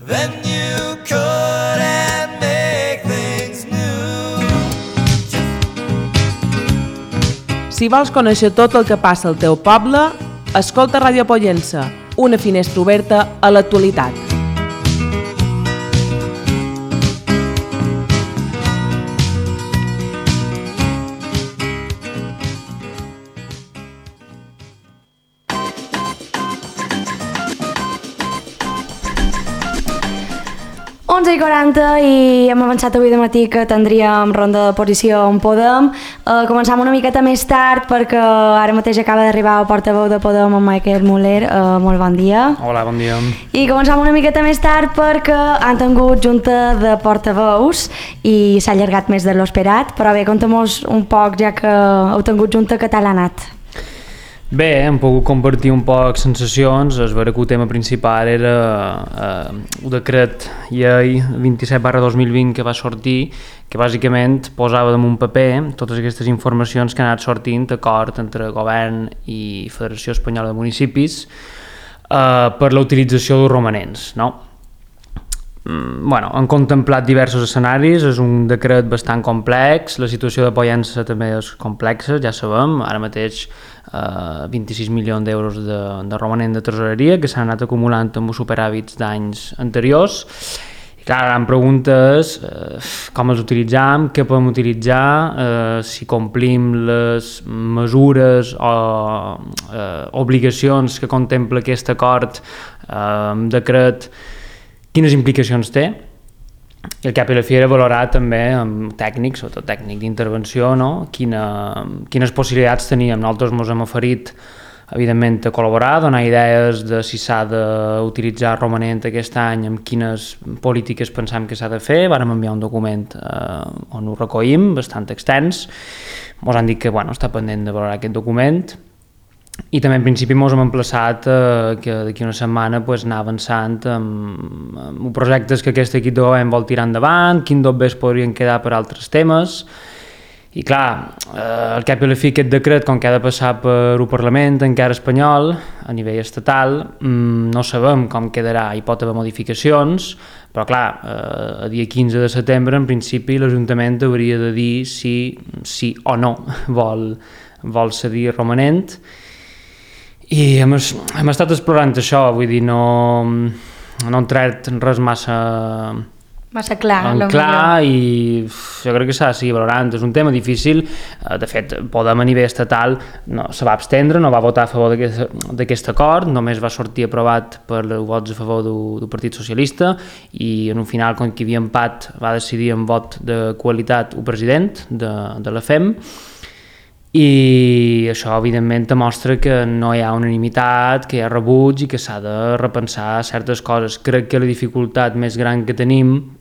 then you could and make things new. Si vols conèixer tot el que passa al teu poble, escolta Ràdio Pollença, una finestra oberta a l'actualitat. i 40 i hem avançat avui de matí que tindríem ronda de posició on Podem. Començam una miqueta més tard perquè ara mateix acaba d'arribar el portaveu de Podem, en Michael Muller. Molt bon dia. Hola, bon dia. I començam una miqueta més tard perquè han tingut junta de portaveus i s'ha allargat més de l'esperat, però bé, conta'm-nos un poc, ja que heu tingut junta, què tal ha anat? Bé, hem pogut compartir un poc sensacions. Es veure que el tema principal era el decret llei 27/2020 que va sortir, que bàsicament posava damunt paper totes aquestes informacions que han anat sortint d'acord entre govern i Federació Espanyola de Municipis per la utilització dels romanents, no? Han contemplat diversos escenaris, és un decret bastant complex, la situació de Pollença també és complexa, ja sabem, ara mateix 26 milions d'euros de romanent de tresoreria que s'han anat acumulant amb superàvits d'anys anteriors. I clar, la gran pregunta és com els utilitzam, què podem utilitzar, si complim les mesures o obligacions que contempla aquest acord, decret, quines implicacions té. I el cap i la fi era valorar també amb tècnics, sobretot tècnic d'intervenció, no? Quines possibilitats teníem. Nosaltres ens hem oferit, evidentment, a col·laborar, donar idees de si s'ha d'utilitzar romanent aquest any, amb quines polítiques pensam que s'ha de fer. Vàrem enviar un document on ho recollim, bastant extens. Ens han dit que està pendent de valorar aquest document. I també en principi ens hem emplaçat que d'aquí una setmana anar avançant amb projectes que aquest equip de govern vol tirar endavant, quins dobbers podrien quedar per altres temes. I clar, al cap i la fi aquest decret, com que ha de passar per un Parlament encara espanyol, a nivell estatal, no sabem com quedarà, hi pot haver modificacions, però clar, a dia 15 de setembre en principi l'Ajuntament hauria de dir si sí o no vol cedir romanent. I hem estat explorant això, vull dir, no han tret res massa clar i jo crec que s'ha de seguir valorant. És un tema difícil, de fet, Podem a nivell estatal se va abstendre, no va votar a favor d'aquest acord, només va sortir aprovat per vots a favor del Partit Socialista i en un final, com que hi havia empat, va decidir en vot de qualitat el president de la FEM. I això, evidentment, demostra que no hi ha unanimitat, que hi ha rebuig i que s'ha de repensar certes coses. Crec que la dificultat més gran que tenim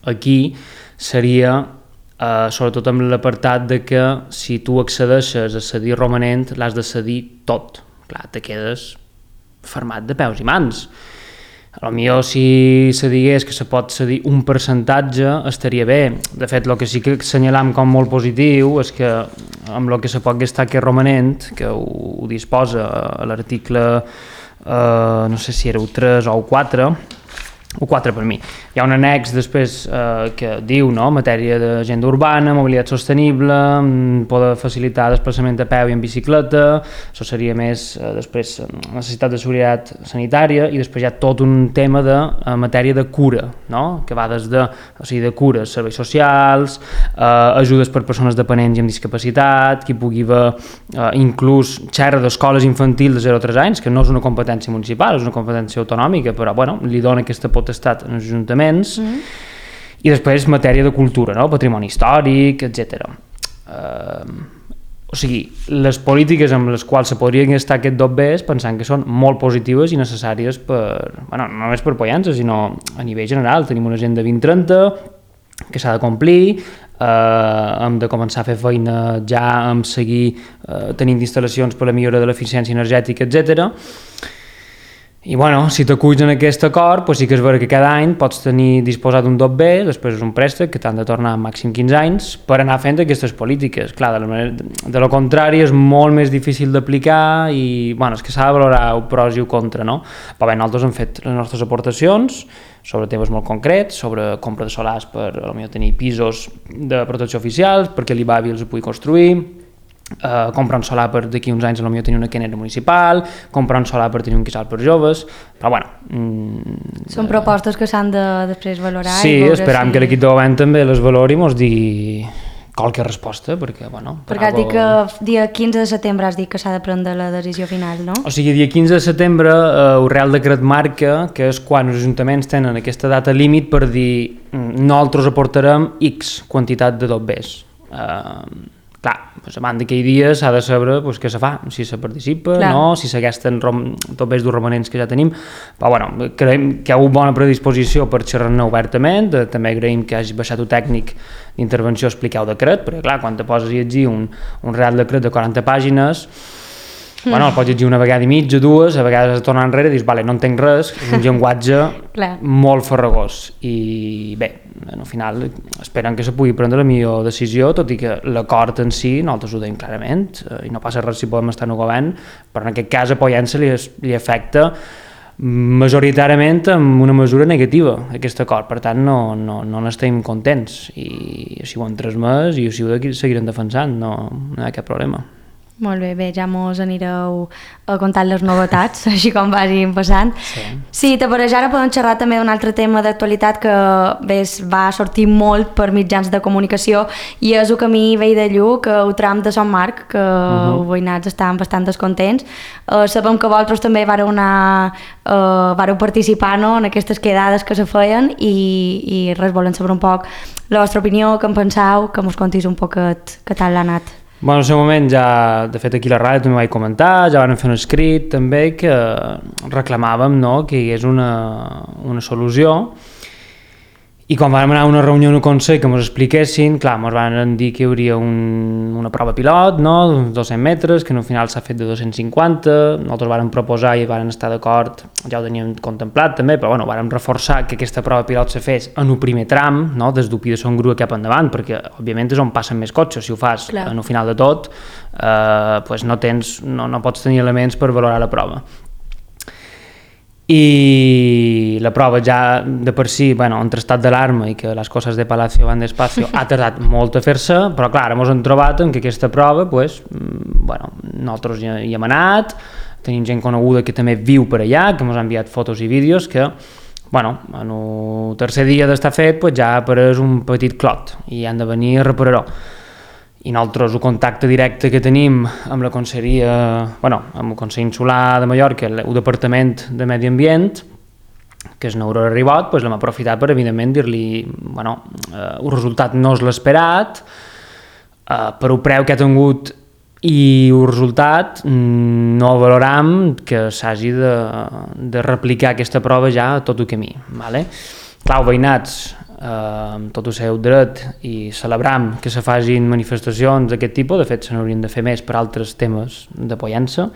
aquí seria, sobretot amb l'apartat de que si tu accedeixes a cedir romanent, l'has de cedir tot. Clar, te quedes fermat de peus i mans. Potser si se digués que se pot cedir un percentatge estaria bé. De fet, el que sí que assenyalam com molt positiu és que amb el que se pot gastar aquest romanent, que ho disposa a l'article, no sé si era el 3 o el 4, o 4 per mi. Hi ha un annex després que diu, no?, matèria d'agenda urbana, mobilitat sostenible, poder facilitar desplaçament a peu i en bicicleta, això seria més després necessitat de seguretat sanitària, i després hi ha tot un tema de matèria de cura, no?, que va des de cures, serveis socials, ajudes per persones dependents i amb discapacitat, que hi pugui haver inclús xerra d'escoles infantils de 0 a 3 anys, que no és una competència municipal, és una competència autonòmica, però li dona aquesta potestat als ajuntaments, i després matèria de cultura, no? Patrimoni històric, etc. O sigui, les polítiques amb les quals se podrien gastar aquest dobbers pensant que són molt positives i necessàries no només per Pollença, sinó a nivell general. Tenim una agenda 2030 que s'ha de complir, hem de començar a fer feina ja amb seguir tenint instal·lacions per a la millora de l'eficiència energètica, etc. I si t'aculls en aquest acord, sí que és vera que cada any pots tenir disposat un dobber, després és un préstec que t'han de tornar màxim 15 anys per anar fent aquestes polítiques. Clar, de lo contrari és molt més difícil d'aplicar i és que s'ha de valorar el pros i el contra, no? Però bé, nosaltres hem fet les nostres aportacions, sobre temes molt concrets, sobre compra de solars per potser tenir pisos de protecció oficials, perquè l'IBAVI els ho pugui construir, comprar un solar per d'aquí uns anys potser tenir una quenera municipal, comprar un solar per tenir un quisal per joves, però bueno... Són propostes que s'han de després valorar. Sí, i veure esperam que l'equip de govern també les valori i mos digui qualque resposta, perquè, bueno... Perquè has dit que dia 15 de setembre has dit que s'ha de prendre la decisió final, no? O sigui, dia 15 de setembre el Real Decret marca que és quan els ajuntaments tenen aquesta data límit per dir nosaltres aportarem X quantitat de dobbers. Clar, doncs abans d'aquell dia s'ha de saber què se fa, si se participa, clar, no, si s'agasten dobbers dels romanents que ja tenim, però bueno, creiem que hi ha hagut bona predisposició per xerrar-ne obertament, també agraïm que hagi baixat un tècnic d'intervenció a explicar el decret, perquè clar, quan te poses a llegir un Real Decret de 40 pàgines, bueno, el pots llegir una vegada i mitja, dues, a vegades has de tornar enrere i dius, vale, no entenc res, és un llenguatge molt farragós, i bé, al final esperen que se pugui prendre la millor decisió, tot i que l'acord en si nosaltres ho deim clarament, i no passa res si podem estar en el govern, però en aquest cas a Pollença li afecta majoritàriament amb una mesura negativa aquest acord, per tant no n'estem contents, i així ho hem transmès i així ho seguirem defensant, no hi ha cap problema. Molt bé, ja mos anireu contant les novetats, així com vagin passant. Sí, te pareix, ara podem xerrar també d'un altre tema d'actualitat que va sortir molt per mitjans de comunicació, i és el camí vell de Lluc, el tram de Sant Marc, que els veïnats estaven bastant descontents. Sabem que vosaltres també vareu participar en aquestes quedades que se feien, i res, volem saber un poc la vostra opinió, què en penseu, que mos contis un poquet què tal l'ha anat. Bueno, en el seu moment ja, de fet aquí a la ràdio també vaig comentar, ja vam fer un escrit també que reclamàvem que hi hagués una solució, i quan vam anar a una reunió en el Consell que ens expliquessin, clar, ens van dir que hi hauria una prova pilot, d'uns 200 metres, que al final s'ha fet de 250, nosaltres vam proposar i vam estar d'acord, ja ho teníem contemplat també, però bueno, vam reforçar que aquesta prova pilot se fes en el primer tram, des d'Upí de Son Grua cap endavant, perquè òbviament és on passen més cotxes, si ho fas en el final de tot, no pots tenir elements per valorar la prova. I la prova ja de per si, entre estat d'alarma i que les coses de Palacio van despacio, ha tardat molt a fer-se, però clar, ens hem trobat que aquesta prova, nosaltres hi hem anat, tenim gent coneguda que també viu per allà, que ens ha enviat fotos i vídeos, que en el tercer dia d'estar fet ja ha apareix un petit clot i han de venir a reparar-ho. I nosaltres el contacte directe que tenim amb la conselleria, amb el Consell Insular de Mallorca, el Departament de Medi Ambient, que és Aurora Ribot, l'hem aprofitat per evidentment dir-li el resultat no és l'esperat, per el preu que ha tingut i el resultat no valoram que s'hagi de replicar aquesta prova ja a tot el camí. Clar, veïnats, amb tot el seu dret, i celebram que se facin manifestacions d'aquest tipus, de fet se n'haurien de fer més per altres temes de Pollença,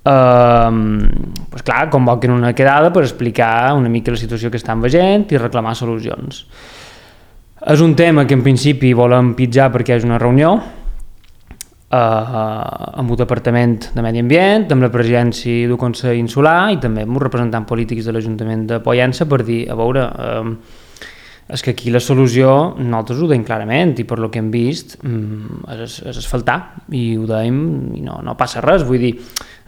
clar, convoquen una quedada per explicar una mica la situació que estan veient i reclamar solucions. És un tema que en principi volem pitjar perquè és una reunió amb el Departament de Medi Ambient, amb la presidència del Consell Insular i també amb els representants polítics de l'Ajuntament de Pollença per dir, a veure, és que aquí la solució nosaltres ho deim clarament i per lo que hem vist és asfaltar i ho deim i no passa res, vull dir,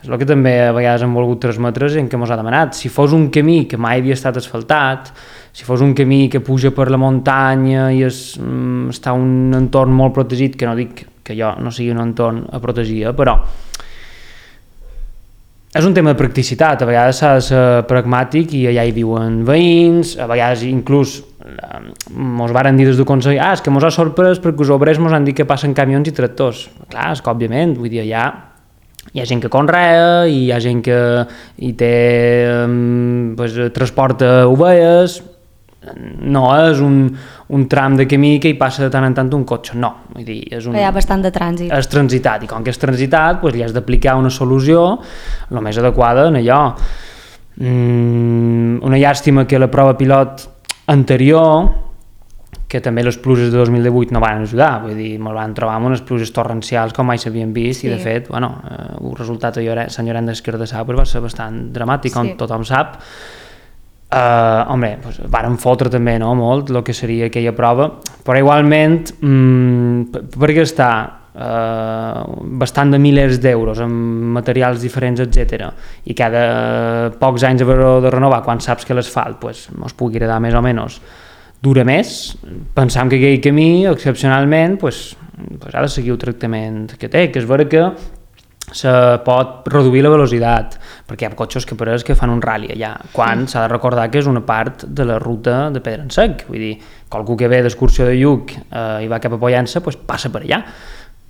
és el que també a vegades hem volgut transmetre en què ens ha demanat. Si fos un camí que mai havia estat asfaltat, si fos un camí que puja per la muntanya i està en un entorn molt protegit, que no dic que jo no sigui un entorn a protegir, però és un tema de practicitat, a vegades s'ha de ser pragmàtic i allà hi viuen veïns, a vegades inclús ens varen dir des del Consell, és que ens ha sorprès perquè els obrers ens han dit que passen camions i tractors. Clar, és que òbviament, vull dir, allà hi ha gent que conrea, hi ha gent que hi té transporta ovelles, no és un tram de camí que hi passa de tant en tant un cotxe, no, vull dir, hi ha bastant de trànsit. És transitat, i com que és transitat, li has d'aplicar una solució el més adequada en allò. Una llàstima que la prova pilot anterior, que també les pluges de 2018 no van ajudar, vull dir, ens van trobar amb unes pluges torrencials com mai s'havien vist, i de fet, el resultat a Sant Llorenç d'Esquerdassau va ser bastant dramàtic, com tothom sap. Home, doncs, varen fotre també, no?, molt el que seria aquella prova, però igualment per gastar bastant de milers d'euros en materials diferents, etc. I cada pocs anys haver-ho de renovar quan saps que l'asfalt pues, es pugui agradar més o menys dura més, pensam que aquell camí excepcionalment pues, ha de seguir el tractament que té, que és vera que se pot reduir la velocitat, perquè hi ha cotxes que pareix que fan un rally allà, quan s'ha de recordar que és una part de la ruta de Pedransec, vull dir, qualcú que ve d'excursió de Lluc i va cap a Pollença, pues, passa per allà,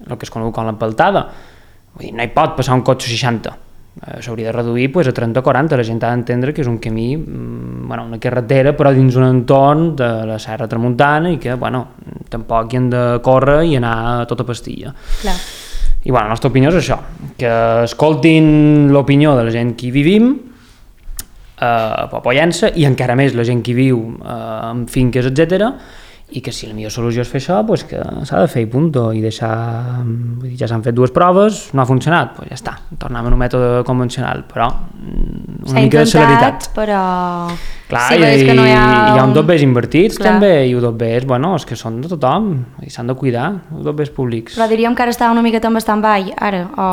el que es conegut com l'empaltada, vull dir, no hi pot passar un cotxe 60, s'hauria de reduir pues, a 30 o 40, la gent ha d'entendre que és un camí, bueno, una carretera, però dins un entorn de la Serra Tramuntana i que, bueno, tampoc hi han de córrer i anar a tota pastilla. Clar. I bueno, la nostra opinió és això, que escoltin l'opinió de la gent que hi vivim a Pollença i encara més la gent que hi viu en finques, etc. I que si la millor solució és fer això, pues que s'ha de fer i punto, i deixar, vull dir, ja s'han fet 2 proves, no ha funcionat, pues ja està, tornem a un mètode convencional, però una mica de celeritat. Però... Clar, sí, i que no hi ha un dobbers invertits, clar, també, i un dobbers, bueno, és que són de tothom, i s'han de cuidar, els dobbers públics. Però diríem que ara està una miqueta en stand-by, ara, o...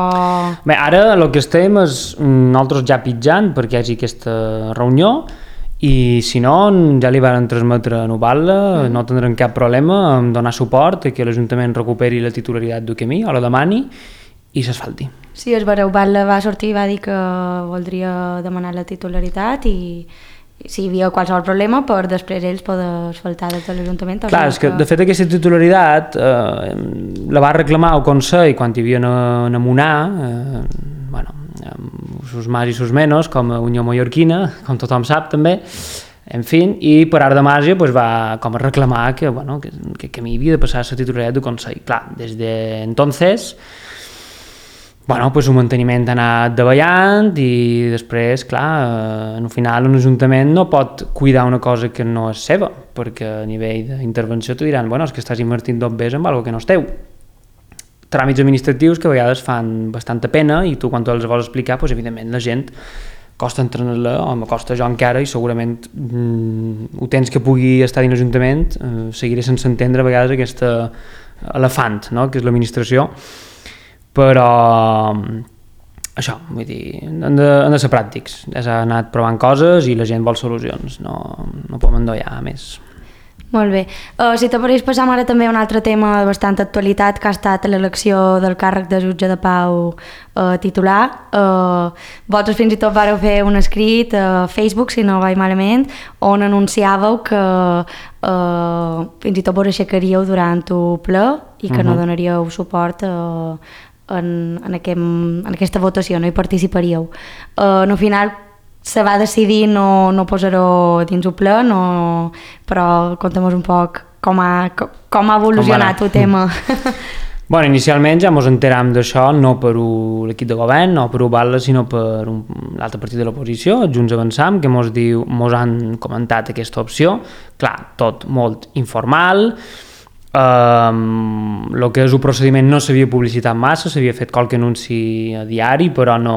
Bé, ara el que estem és nosaltres ja pitjant perquè hi hagi aquesta reunió, i si no, ja li van transmetre a Noval·la, no tindrem cap problema en donar suport a que l'Ajuntament recuperi la titularitat del camí, o la demani, i s'asfalti. Sí, és vera, Noval·la va sortir i va dir que voldria demanar la titularitat i si hi havia qualsevol problema per després ells poder asfaltar des de l'Ajuntament. Clar, és que de fet aquesta titularitat la va reclamar el Consell quan hi havia a Monar, bueno, sus más i sus menos, com a Unió Mallorquina, com tothom sap també, en fi, i per art de màgia pues, va com a reclamar que, bueno, que mi havia de passar la titularitat del Consell. Clar, des de entonces, bueno, pues, un manteniment ha anat davallant i després, clar, al final un ajuntament no pot cuidar una cosa que no és seva, perquè a nivell d'intervenció te diran, bueno, és que estàs invertint dobbers en alguna que no és teu. Tràmits administratius que a vegades fan bastanta pena i tu quan els vols explicar, doncs, evidentment la gent costa entendre-la, o me costa jo encara i segurament ho tens que pugui estar dins l'Ajuntament, seguiré sense entendre a vegades aquest elefant, no?, que és l'administració, però això, vull dir, han de ser pràctics, ja s'ha anat provant coses i la gent vol solucions, no podem endollar més. Molt bé. Si te pareix, passam ara també a un altre tema de bastanta actualitat, que ha estat l'elecció del càrrec de jutge de pau titular. Vosaltres fins i tot vareu fer un escrit a Facebook, si no vaig malament, on anunciàveu que fins i tot vos aixecaríeu durant el ple i que no donaríeu suport en aquesta votació, no hi participaríeu. Al final se va decidir no posar-ho dins el ple, però conta'm un poc com ha evolucionat el tema. Bueno, inicialment ja ens enteram d'això no per l'equip de govern, no per Noval·la, sinó per l'altre partit de l'oposició, Junts Avançam, que ens han comentat aquesta opció. Clar, tot molt informal, el que és el procediment no s'havia publicitat massa, s'havia fet qualque anunci a diari, però no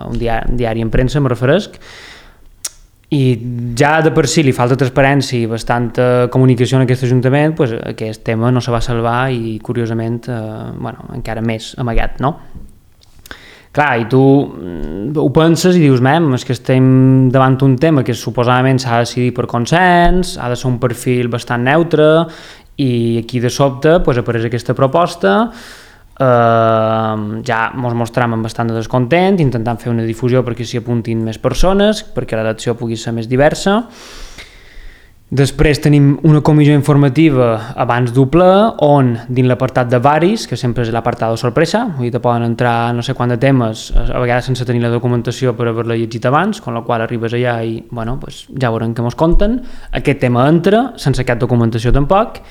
un diari en premsa, me referesc, i ja de per si li falta transparència i bastanta comunicació en aquest Ajuntament, pues, aquest tema no se va salvar i curiosament bueno, encara més amagat, no? Clar, i tu ho penses i dius, és que estem davant un tema que suposadament s'ha de decidir per consens, ha de ser un perfil bastant neutre, i aquí de sobte pues, apareix aquesta proposta, ja ens mostrem bastant descontent, intentant fer una difusió perquè s'hi apuntin més persones, perquè l'elecció pugui ser més diversa. Després tenim una comissió informativa abans del ple, on dins l'apartat de varis, que sempre és l'apartat de sorpresa, vull dir, poden entrar no sé quant de temes, a vegades sense tenir la documentació per haver-la llegit abans, amb la qual arribes allà i bueno, pues, ja veurem què ens conten. Aquest tema entra, sense cap documentació tampoc,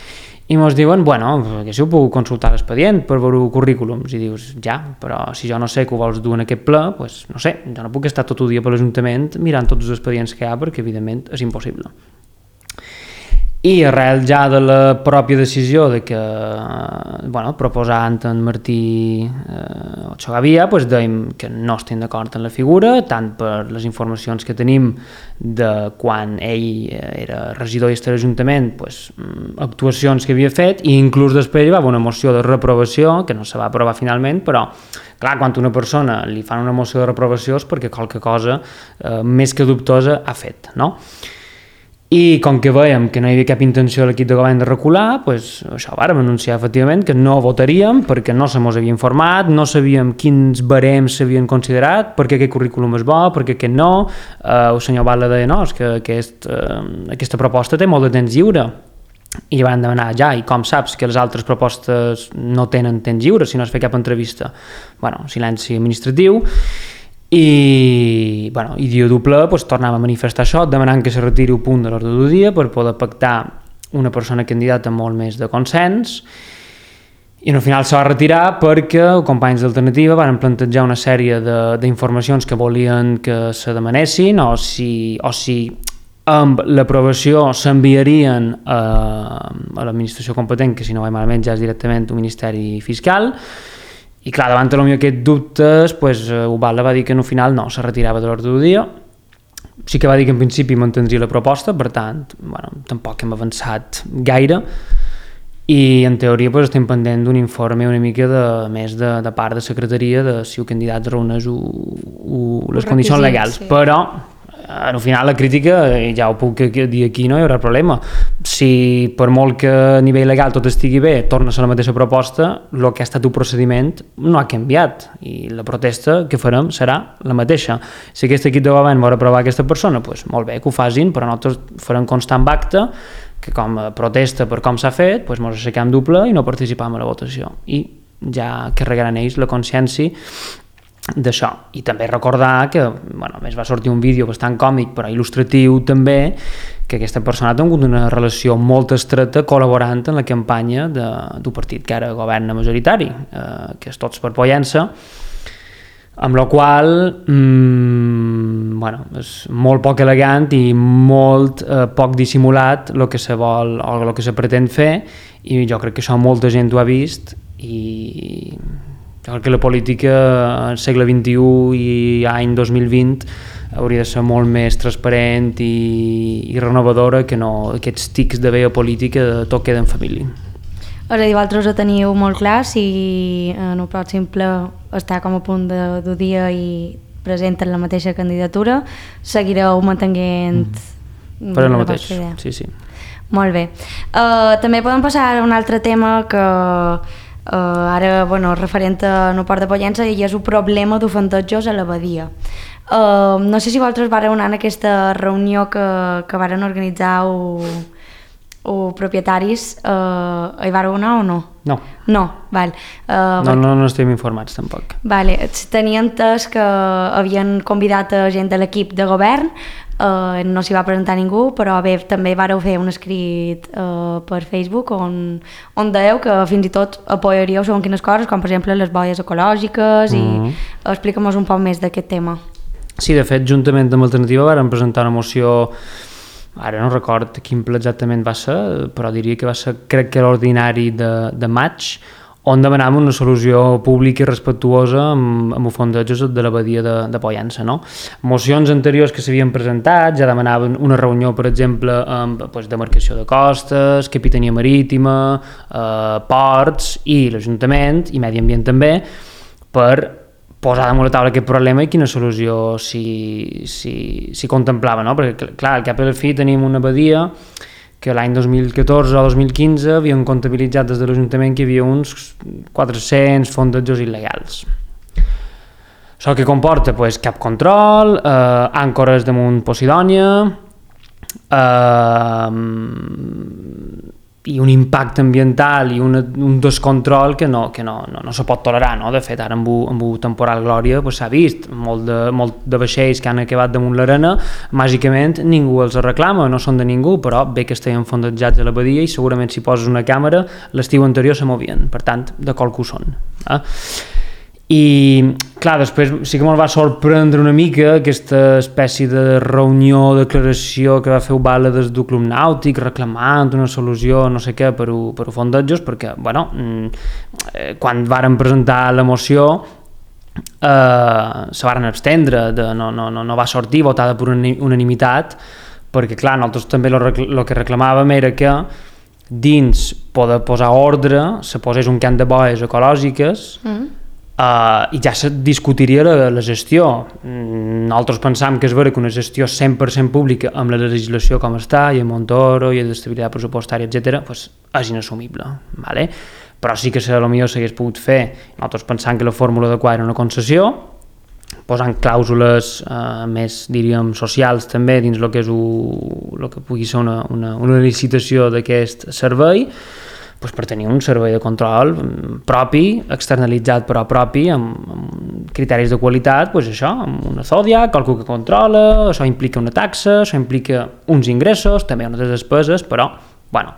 i ens diuen, bueno, que si ho puc consultar l'expedient per veure currículums, i dius, ja, però si jo no sé que ho vols dur en aquest ple, pues, no sé, jo no puc estar tot el dia per l'Ajuntament mirant tots els expedients que hi ha, perquè evidentment és impossible. I arrel ja de la pròpia decisió de que, proposant en Martí Ochagavia, dèiem que no estem d'acord en la figura, tant per les informacions que tenim de quan ell era regidor i a l'Ajuntament, actuacions que havia fet, i inclús després hi va haver una moció de reprovació, que no se va aprovar finalment, però clar, quan a una persona li fan una moció de reprovació és perquè qualque cosa més que dubtosa ha fet, no? I com que veiem que no hi havia cap intenció de l'equip de govern de recular, això vàrem anunciar efectivament que no votaríem perquè no se mos havia informat, no sabíem quins barems s'havien considerat, perquè aquest currículum és bo, perquè aquest no. El senyor Batlle deia, no, és que aquesta proposta té molt de temps lliure. I van demanar, ja, i com saps que les altres propostes no tenen temps lliure si no es fa cap entrevista? Silenci administratiu. I dia doble tornàvem a manifestar això, demanant que se retiri un punt de l'ordre del dia per poder pactar una persona candidata amb molt més de consens, i al final se va retirar perquè els companys d'Alternativa van plantejar una sèrie d'informacions que volien que se demanessin, o si amb l'aprovació s'enviarien a l'administració competent, que si no vaig malament ja és directament un ministeri fiscal. I clar, davant d'aquests dubtes, Ubalda va dir que al final no, se retirava de l'ordre del dia. Sí que va dir que en principi mantindria la proposta, per tant, tampoc hem avançat gaire, i en teoria estem pendent d'un informe una mica més de part de secretaria de si el candidat reuneix les condicions legals, sí. Però al final la crítica, ja ho puc dir aquí, no hi haurà problema. Si per molt que a nivell legal tot estigui bé, torna a ser la mateixa proposta, el que ha estat un procediment no ha canviat i la protesta que farem serà la mateixa. Si aquest equip de govern vol aprovar aquesta persona, molt bé, que ho facin, però nosaltres farem constant acte que com a protesta per com s'ha fet, ens aixequem doble i no participam a la votació. I ja carregaran ells la consciència d'això. I també recordar que a més va sortir un vídeo bastant còmic però il·lustratiu també, que aquesta persona ha tingut una relació molt estreta col·laborant en la campanya d'un partit que ara governa majoritari, que és Tots per Pollença, amb la qual és molt poc elegant i molt poc dissimulat el que se vol o el que se pretén fer, i jo crec que això molta gent ho ha vist, i jo crec que la política al segle XXI i any 2020 hauria de ser molt més transparent i renovadora, que no aquests tics de veia política de tot queda en família. És a dir, vosaltres ho teniu molt clar, si en el pròxim ple està com a punt de dia i presenten la mateixa candidatura, seguireu mantenint... Farem el mateix, sí. Molt bé. També podem passar a un altre tema que ara, referent a no Port de Pollença, i és un problema d'ofendejos a la badia. No sé si vosaltres vareu anar en aquesta reunió que varen organitzar o propietaris, hi vareu anar o no? No. No, val. No estem informats tampoc. Vale, tenia entès que havien convidat a gent de l'equip de govern, no s'hi va presentar ningú, però bé, també vareu fer un escrit per Facebook on dèieu que fins i tot apoyaríeu segons quines coses, com per exemple les boies ecològiques, i explica'm-nos un poc més d'aquest tema. Sí, de fet, juntament amb Alternativa varen presentar una moció, ara no record quin ple exactament va ser, però diria que va ser, crec que l'ordinari de maig, on demanàvem una solució pública i respectuosa amb els fondejos de la badia de Pollença. Mocions anteriors que s'havien presentat ja demanaven una reunió, per exemple, amb demarcació de costes, capitania marítima, ports i l'Ajuntament, i Medi Ambient també, per posar damunt la taula aquest problema i quina solució s'hi contemplava, no? Perquè, clar, al cap i a la fi tenim una badia que l'any 2014 o 2015 havien comptabilitzat des de l'Ajuntament que hi havia uns 400 fondejos il·legals. Això que comporta? Cap control, àncores damunt Posidònia, i un impacte ambiental i un descontrol que no se pot tolerar, no? De fet, ara amb el temporal Glòria s'ha vist molt de vaixells que han acabat damunt l'arena, màgicament ningú els reclama, no són de ningú, però bé que estaven fondejats a la badia i segurament si poses una càmera l'estiu anterior se movien, per tant, de qual que ho són. I, clar, després sí que me'l va sorprendre una mica aquesta espècie de reunió, declaració que va fer Ubala des del Club Nàutic reclamant una solució, no sé què, per ho fondejos, perquè, bueno, quan varen presentar la moció se varen abstendre, no va sortir votada per unanimitat, perquè, clar, nosaltres també el que reclamàvem era que dins poder posar ordre se posés un camp de boies ecològiques i ja se discutiria la gestió. Nosaltres pensam que és vera que una gestió 100% pública amb la legislació com està, i a Montoro, i a d'estabilitat pressupostària, etc., pues, és inassumible, ¿vale? Però sí que potser s'hagués pogut fer. Nosaltres pensam que la fórmula adequada era una concessió, posant clàusules més, diríem, socials també dins el que és el que pugui ser una licitació d'aquest servei, pues per tenir un servei de control propi, externalitzat però propi, amb criteris de qualitat, pues això, amb una Zodiac, qualcú que controla, això implica una taxa, això implica uns ingressos, també unes despeses, però, bueno.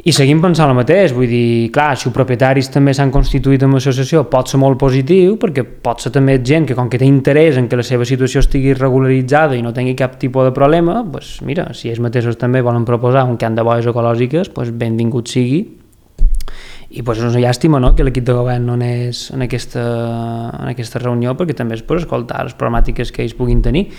I seguim pensant el mateix, vull dir, clar, si els propietaris també s'han constituït en l'associació pot ser molt positiu, perquè pot ser també gent que com que té interès en que la seva situació estigui regularitzada i no tingui cap tipus de problema, doncs mira, si ells mateixos també volen proposar un camp de boies ecològiques, doncs benvingut sigui. I doncs és una llàstima, no?, que l'equip de govern no anés en aquesta reunió, perquè també és per escoltar les problemàtiques que ells puguin tenir.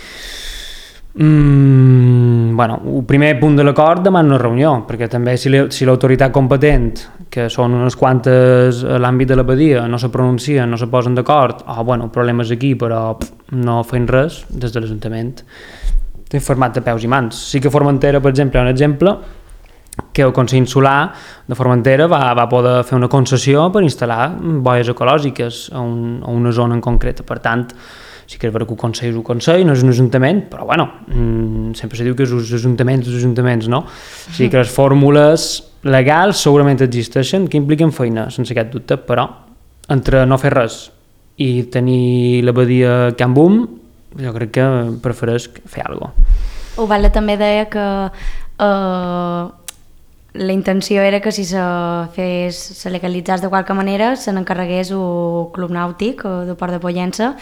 Bueno, el primer punt de l'acord demana una reunió, perquè també si l'autoritat competent, que són unes quantes a l'àmbit de la badia, no se pronuncien, no se posen d'acord, bueno, el problema és aquí, però no feien res des de l'Ajuntament, té format de peus i mans. Sí que Formentera, per exemple, un exemple, que el Consell Insular de Formentera va poder fer una concessió per instal·lar boies ecològiques a una zona en concreta. Per tant, sí que és vera que el Consell és un Consell, no és un Ajuntament, però bueno, sempre se diu que és els ajuntaments, no? O sigui que les fórmules legals segurament existeixen, que impliquen feina, sense aquest dubte, però entre no fer res i tenir la badia Can Boom, jo crec que prefereix fer alguna cosa. Ubala també deia que la intenció era que si se legalitzés de qualque manera se n'encarregués el Club Nàutic de Port de Pollença.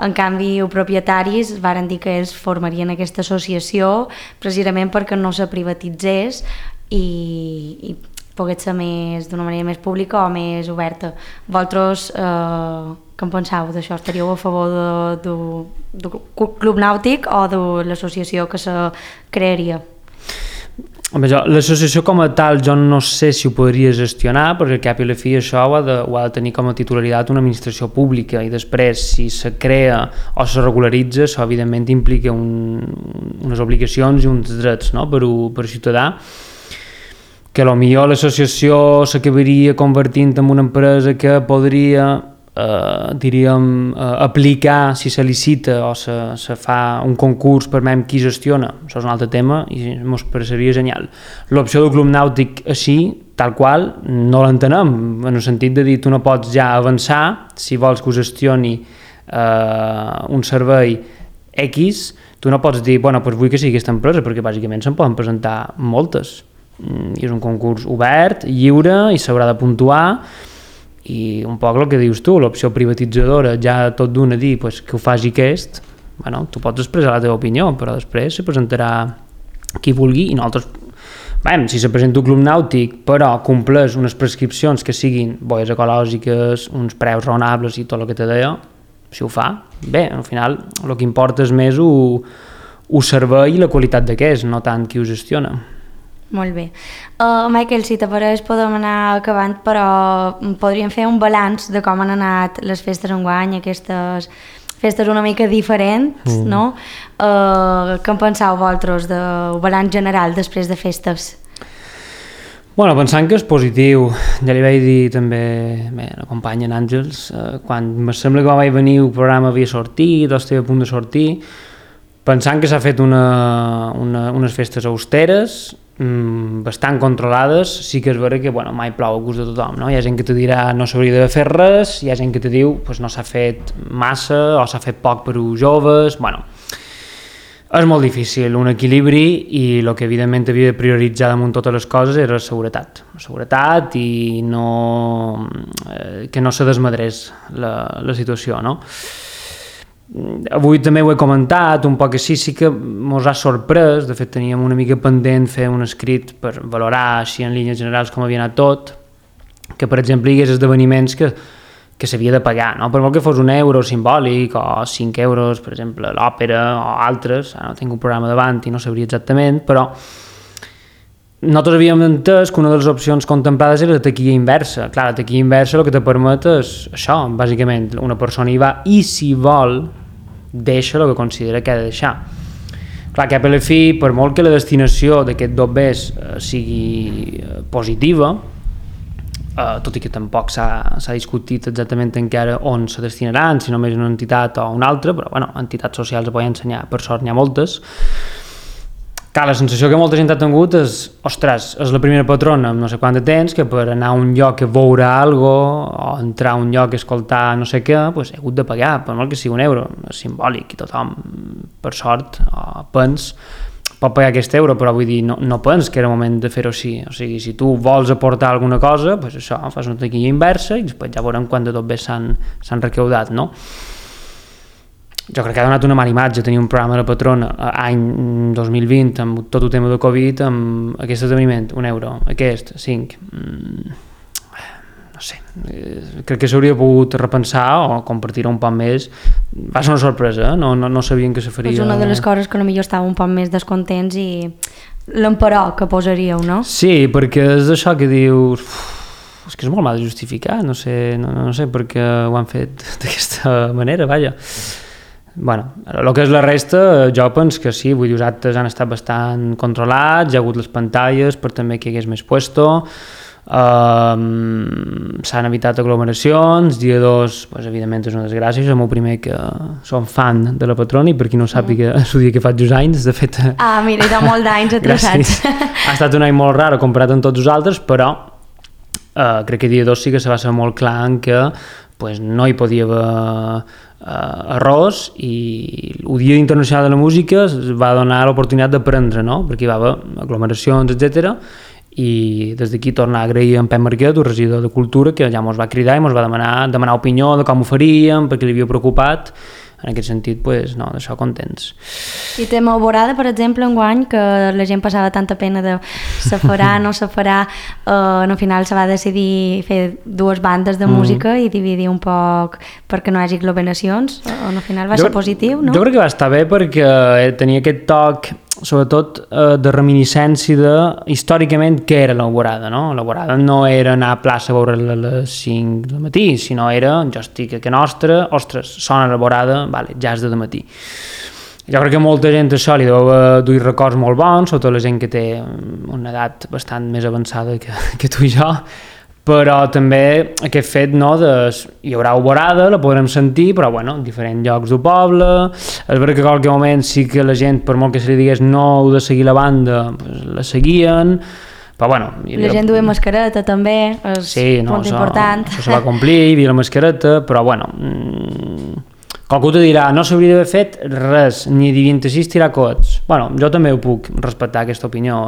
En canvi, els propietaris varen dir que ells formarien aquesta associació precisament perquè no se privatitzés i pogués ser d'una manera més pública o més oberta. Vosaltres què en penseu d'això? Estaríeu a favor del Club Nàutic o de l'associació que se crearia? Home, l'associació com a tal jo no sé si ho podria gestionar, perquè al cap i a la fi això ho ha de tenir com a titularitat una administració pública, i després si se crea o se regularitza, això evidentment implica unes obligacions i uns drets, no?, per al ciutadà, que potser l'associació s'acabaria convertint en una empresa que podria aplicar si se licita o se fa un concurs per veure qui gestiona. Això és un altre tema i ens pareceria genial. L'opció del Club Nàutic així, tal qual, no l'entenem, en el sentit de dir tu no pots ja avançar si vols que ho gestioni un servei X, tu no pots dir, bueno, doncs vull que sigui aquesta empresa, perquè bàsicament se'n poden presentar moltes. I és un concurs obert, lliure, i s'haurà de puntuar. I un poc el que dius tu, l'opció privatitzadora, ja tot d'una dir pues, que ho faci aquest, bueno, tu pots expressar la teva opinió, però després se presentarà qui vulgui, i nosaltres, si se presenta un Club Nàutic, però compleix unes prescripcions que siguin boies ecològiques, uns preus raonables i tot el que te deia, si ho fa, bé, al final el que importa és més el servei i la qualitat d'aquest, no tant qui ho gestiona. Molt bé. Michael, si t'apareix podem anar acabant, però podríem fer un balanç de com han anat les festes enguany, aquestes festes una mica diferents, no? Què en penseu vosaltres del balanç general després de festes? Bueno, pensant que és positiu, ja li vaig dir també a la companya en Àngels, quan em sembla que vaig venir el programa havia sortit, o estava a punt de sortir, pensant que s'ha fet unes festes austeres, bastant controlades, sí que és vera que mai plou a gust de tothom, no? Hi ha gent que te dirà no s'hauria d'haver fet res, hi ha gent que te diu no s'ha fet massa o s'ha fet poc per als joves, És molt difícil, un equilibri, i el que evidentment havia de prioritzar damunt totes les coses era la seguretat i no, que no se desmadrés la situació, no? Avui també ho he comentat, un poc així, sí que mos ha sorprès, de fet teníem una mica pendent fer un escrit per valorar així en línies generals com havia anat tot, que per exemple hi hagués esdeveniments que s'havia de pagar, no? Per molt que fos €1 simbòlic o 5 euros, per exemple, l'òpera o altres, ara no tinc un programa davant i no sabria exactament, però nosaltres havíem entès que una de les opcions contemplades era la taquilla inversa. Clar, la taquilla inversa el que te permet és això, bàsicament, una persona hi va i si vol deixa el que considera que ha de deixar. Clar, que a la fi, per molt que la destinació d'aquest dobbers sigui positiva, tot i que tampoc s'ha discutit exactament encara on se destinaran, si només una entitat o una altra, però bueno, entitats socials ho poden ensenyar, per sort n'hi ha moltes. Clar, la sensació que molta gent ha tingut és, ostres, és la primera patrona amb no sé quant de temps que per anar a un lloc a veure alguna cosa o entrar a un lloc a escoltar no sé què, pues he hagut de pagar, per molt que sigui €1, és simbòlic i tothom, per sort, pot pagar aquest euro, però vull dir, no pens que era moment de fer-ho així. O sigui, si tu vols aportar alguna cosa, pues això, fas una taquilla inversa i després ja veurem quan de tot bé s'han recaudat, no? Jo crec que ha donat una mala imatge tenir un programa de la patrona any 2020 amb tot el tema de Covid, amb aquest esdeveniment, €1, aquest, 5, no sé, crec que s'hauria pogut repensar o compartir un poc més. Va ser una sorpresa, no sabien que se faria. És una de les coses que potser estava un poc més descontents i l'emperò que posaríeu, no? Sí, perquè és això que dius... és que és molt mal de justificar, no sé per què ho han fet d'aquesta manera, vaja. Bueno, el que és la resta, jo penso que sí, vull dir, els actes han estat bastant controlats, hi ha hagut les pantalles per també que hi hagués més puesto, s'han evitat aglomeracions, dia 2, pues, evidentment és una desgràcia, som el primer que som fan de la patrona i per qui no sàpiga és el dia que faig 2 anys, de fet... Mira, hi ha molt d'anys atrasats. Ha estat un any molt rar comparat amb tots els altres, però crec que dia 2 sí que se va ser molt clar en que pues, no hi podia haver arròs i el Dia Internacional de la Música es va donar l'oportunitat d'aprendre, no? Perquè hi va haver aglomeracions, etc. I des d'aquí tornar a agrair a en Pep Marquet, el regidor de Cultura, que ja ens va cridar i ens va demanar opinió de com ho faríem, perquè li havia preocupat. En aquest sentit, pues, no, d'això contents. I tema Alborada, per exemple, enguany, que la gent passava tanta pena de se farà, no se farà, al final se va decidir fer 2 bandes de música i dividir un poc perquè no hi hagi aglomeracions, al final va ser positiu, no? Jo crec que va estar bé perquè tenia aquest toc, sobretot de reminiscència de, històricament, què era l'Alborada, no? L'Alborada no era anar a plaça a veure-la a les 5 del matí, sinó era, jo estic a Can Nostra, ostres, sona l'Alborada, vale, ja és de matí. Jo crec que molta gent això li deu dur records molt bons, sobretot la gent que té una edat bastant més avançada que tu i jo, però també aquest fet, no, hi haurà Alborada, la podrem sentir, però bueno, en diferents llocs del poble. És veritat que en qualque moment sí que la gent, per molt que se li digués no heu de seguir la banda, pues, la seguien, però bueno... La gent duia mascareta també, és un punt important. Això se va complir, hi havia la mascareta, però bueno... Qualcú te dirà, no s'hauria d'haver fet res, ni de 26 tirar coets. Bueno, jo també ho puc respectar, aquesta opinió,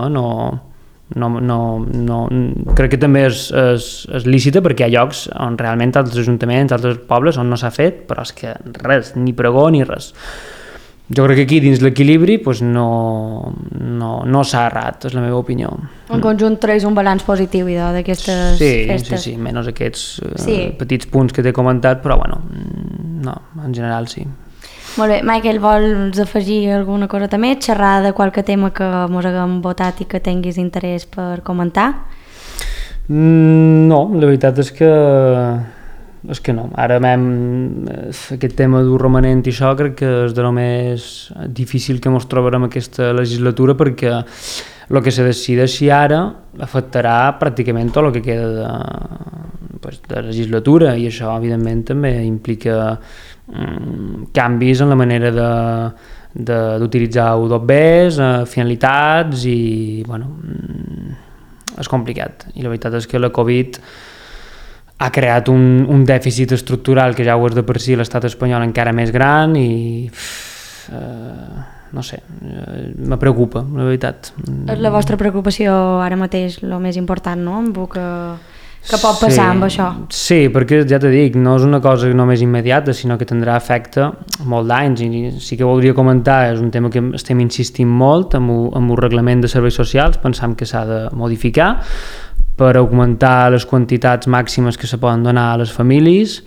crec que també és lícita perquè hi ha llocs on realment altres ajuntaments, altres pobles on no s'ha fet, però és que res, ni pregó ni res. Jo crec que aquí dins l'equilibri pues no s'ha errat, és la meva opinió. En conjunt treus un balanç positiu d'aquestes festes. Sí, menys aquests petits punts que t'he comentat, però bueno, no, en general sí. Molt bé, Michael, vols afegir alguna cosa també? Xerrar de qualque tema que mos haguem votat i que tinguis interès per comentar? No, la veritat és que no. Ara aquest tema d'un romanent i això crec que és de lo més difícil que ens trobarem aquesta legislatura perquè el que se decideixi ara afectarà pràcticament tot el que queda de legislatura i això evidentment també implica canvis en la manera d'utilitzar U2Bs, finalitats i bueno, és complicat i la veritat és que la Covid ha creat un dèficit estructural que ja ho és de per si l'estat espanyol encara més gran i no sé, me preocupa, la veritat. És la vostra preocupació ara mateix el més important, no? Amb el que pot passar amb això. Sí, perquè ja t'he dit, no és una cosa només immediata, sinó que tindrà efecte molt d'anys, i sí que voldria comentar, és un tema que estem insistint molt amb el reglament de serveis socials, pensam que s'ha de modificar per augmentar les quantitats màximes que se poden donar a les famílies,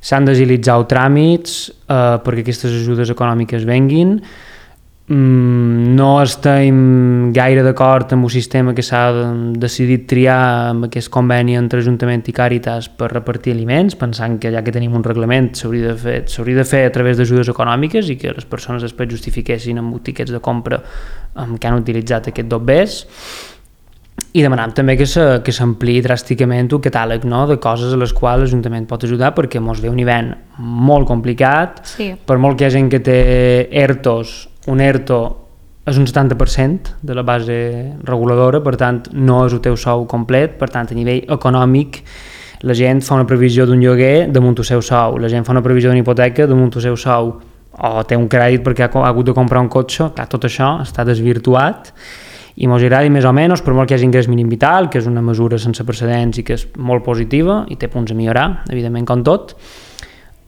s'han d'agilitzar els tràmits perquè aquestes ajudes econòmiques venguin. No estem gaire d'acord amb el sistema que s'ha decidit triar amb aquest conveni entre Ajuntament i Càritas per repartir aliments, pensant que ja que tenim un reglament s'hauria de fer a través d'ajudes econòmiques i que les persones després justifiquessin amb tiquets de compra que han utilitzat aquest dobbers. I demanam també que s'ampliï dràsticament el catàleg, no?, de coses a les quals l'Ajuntament pot ajudar, perquè ens ve un hivern molt complicat, sí. Per molt que hi ha gent que té ERTOs, un ERTO és un 70% de la base reguladora, per tant no és el teu sou complet, per tant a nivell econòmic la gent fa una previsió d'un lloguer damunt el seu sou, la gent fa una previsió d'una hipoteca damunt el seu sou, o té un crèdit perquè ha hagut de comprar un cotxe, clar, tot això està desvirtuat i mos agradi més o menys, per molt que hi hagi ingrés mínim vital, que és una mesura sense precedents i que és molt positiva i té punts a millorar, evidentment com tot.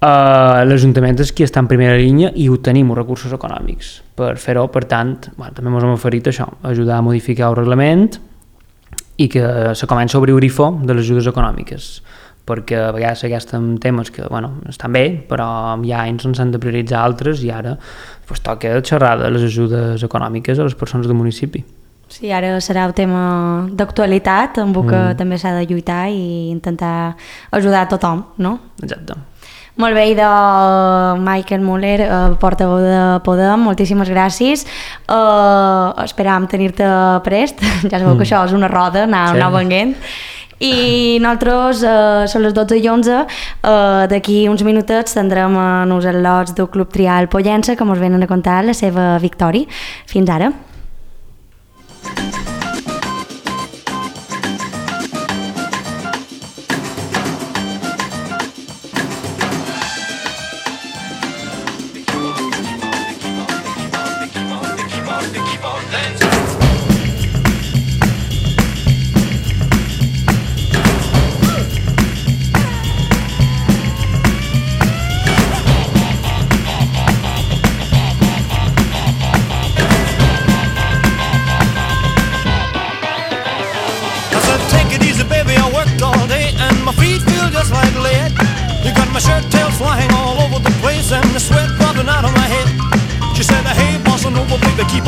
L'Ajuntament és qui està en primera línia i obtenim els recursos econòmics per fer-ho, per tant, també ens hem oferit això, ajudar a modificar el reglament i que se comença a obrir el grifo de les ajudes econòmiques, perquè a vegades aquests temes que estan bé, però hi ha anys on s'han de prioritzar altres i ara toca xerrar de les ajudes econòmiques a les persones del municipi. Sí, ara serà un tema d'actualitat amb el que també s'ha de lluitar i intentar ajudar a tothom, no? Exacte. Molt bé, i de Michael Muller, portaveu de Podem, moltíssimes gràcies. Esperàvem tenir-te prest, ja sabeu que això és una roda, anar venguent. I nosaltres, són les 12:11, d'aquí uns minutets tindrem els al·lots del Club Trial Pollença que ens venen a contar la seva victòria. Fins ara. My shirt tails flying all over the place and the sweat dropping out of my head. She said, hey, bossa nova, baby, keep on